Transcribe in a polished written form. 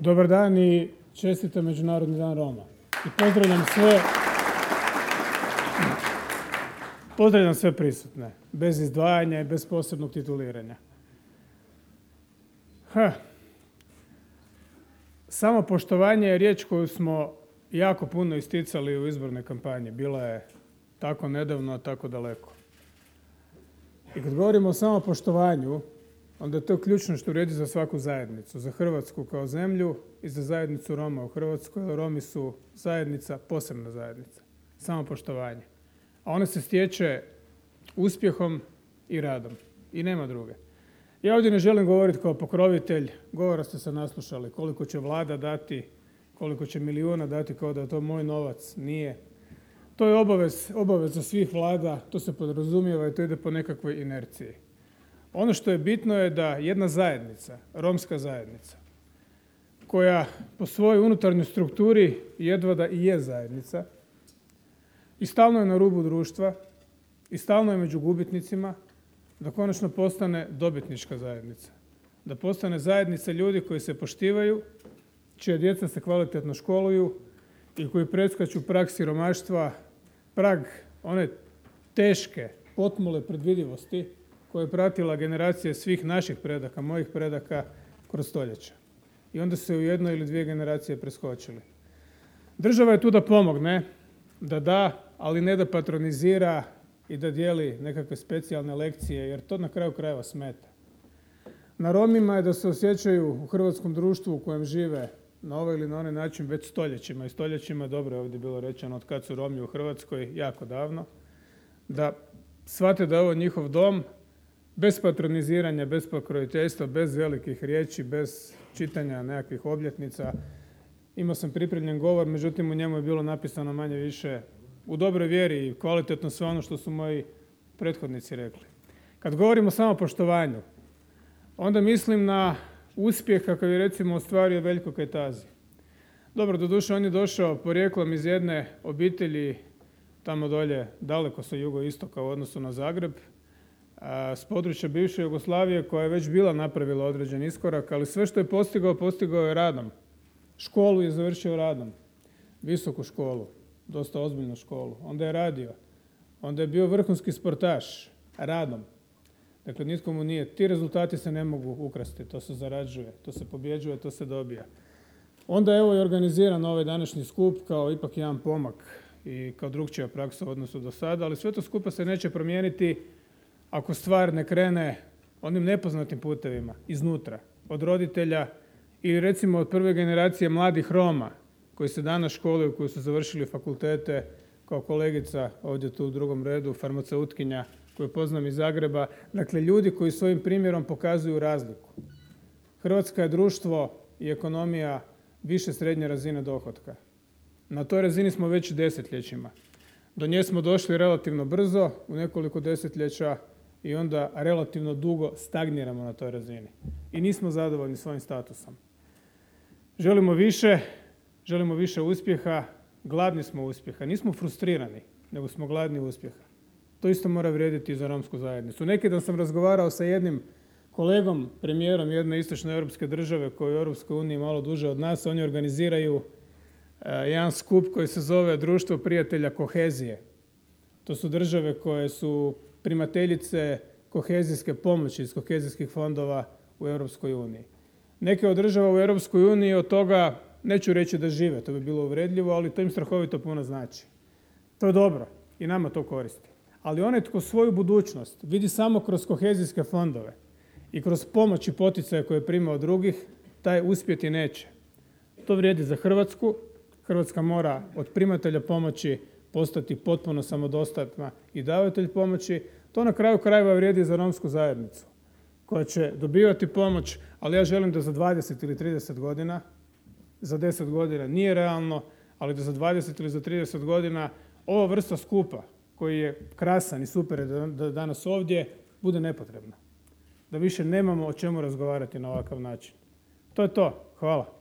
Dobar dan i čestitam Međunarodni dan Roma. I pozdravljam sve prisutne, bez izdvajanja i bez posebnog tituliranja. Samopoštovanje je riječ koju smo jako puno isticali u izbornoj kampanji. Bila je tako nedavno, a tako daleko. I kad govorimo o samopoštovanju, onda je to ključno što vrijedi za svaku zajednicu, za Hrvatsku kao zemlju i za zajednicu Roma u Hrvatskoj. Romi su zajednica, posebna zajednica, samopoštovanje. A ona se stječe uspjehom i radom i nema druge. Ja ovdje ne želim govoriti kao pokrovitelj, govora ste se naslušali, koliko će vlada dati, koliko će milijuna dati kao da je to moj novac, nije. To je obaveza svih vlada, to se podrazumijeva i to ide po nekakvoj inerciji. Ono što je bitno je da jedna zajednica, romska zajednica, koja po svojoj unutarnjoj strukturi jedva da i je zajednica i stalno je na rubu društva i stalno je među gubitnicima, da konačno postane dobitnička zajednica. Da postane zajednica ljudi koji se poštivaju, čija djeca se kvalitetno školuju i koji preskaču prag siromaštva, prag one teške, potmule predvidivosti koje je pratila generacija svih naših predaka, mojih predaka kroz stoljeća. I onda se u jednoj ili dvije generacije preskočili. Država je tu da pomogne, da, ali ne da patronizira i da dijeli nekakve specijalne lekcije, jer to na kraju krajeva smeta. Na Romima je da se osjećaju u hrvatskom društvu u kojem žive na ovaj ili na onaj način već stoljećima. I stoljećima, dobro je ovdje bilo rečeno, od kad su Romi u Hrvatskoj, jako davno, da shvate da je ovo njihov dom, bez patroniziranja, bez pokroviteljstva, bez velikih riječi, bez čitanja nekakvih obljetnica. Imao sam pripremljen govor, međutim u njemu je bilo napisano manje više u dobroj vjeri i kvalitetno sve ono što su moji prethodnici rekli. Kad govorimo o samopoštovanju, onda mislim na uspjeh kakav je recimo ostvario Veljko Kajtazi. Dobro, doduše on je došao porijeklom iz jedne obitelji tamo dolje, daleko sa jugoistoka u odnosu na Zagreb, s područja bivše Jugoslavije koja je već bila napravila određen iskorak, ali sve što je postigao je radom. Školu je završio radom, visoku školu, dosta ozbiljnu školu. Onda je radio, onda je bio vrhunski sportaš, radom. Dakle, nitko mu nije. Ti rezultati se ne mogu ukrasti, to se zarađuje, to se pobjeđuje, to se dobija. Onda evo je organiziran ovaj današnji skup kao ipak jedan pomak i kao drukčija praksa u odnosu do sada, ali sve to skupa se neće promijeniti ako stvar ne krene onim nepoznatim putevima, iznutra, od roditelja ili recimo od prve generacije mladih Roma koji se danas školuju, koji su završili fakultete, kao kolegica ovdje tu u drugom redu, farmaceutkinja koju poznam iz Zagreba. Dakle, ljudi koji svojim primjerom pokazuju razliku. Hrvatska je društvo i ekonomija više srednje razine dohotka. Na toj razini smo već desetljećima. Do nje smo došli relativno brzo, u nekoliko desetljeća, i onda relativno dugo stagniramo na toj razini. I nismo zadovoljni svojim statusom. Želimo više uspjeha, gladni smo uspjeha. Nismo frustrirani, nego smo gladni uspjeha. To isto mora vrijediti i za romsku zajednicu. Neki dan sam razgovarao sa jednim kolegom, premijerom jedne istočne europske države koji je u Europskoj uniji malo duže od nas. Oni organiziraju jedan skup koji se zove Društvo prijatelja kohezije. To su države koje su primateljice kohezijske pomoći iz kohezijskih fondova u Europskoj uniji. Neke od država u Europskoj uniji od toga neću reći da žive, to bi bilo uvredljivo, ali to im strahovito puno znači. To je dobro i nama to koristi. Ali onaj tko svoju budućnost vidi samo kroz kohezijske fondove i kroz pomoć i poticaje koje prima od drugih, taj uspjeti neće. To vrijedi za Hrvatsku. Hrvatska mora od primatelja pomoći postati potpuno samodostatna i davatelj pomoći. To na kraju krajeva vrijedi za romsku zajednicu koja će dobivati pomoć, ali ja želim da za 20 ili 30 godina, za 10 godina nije realno, ali da za 20 ili za 30 godina ova vrsta skupa koji je krasan i super je da danas ovdje bude nepotrebna. Da više nemamo o čemu razgovarati na ovakav način. To je to. Hvala.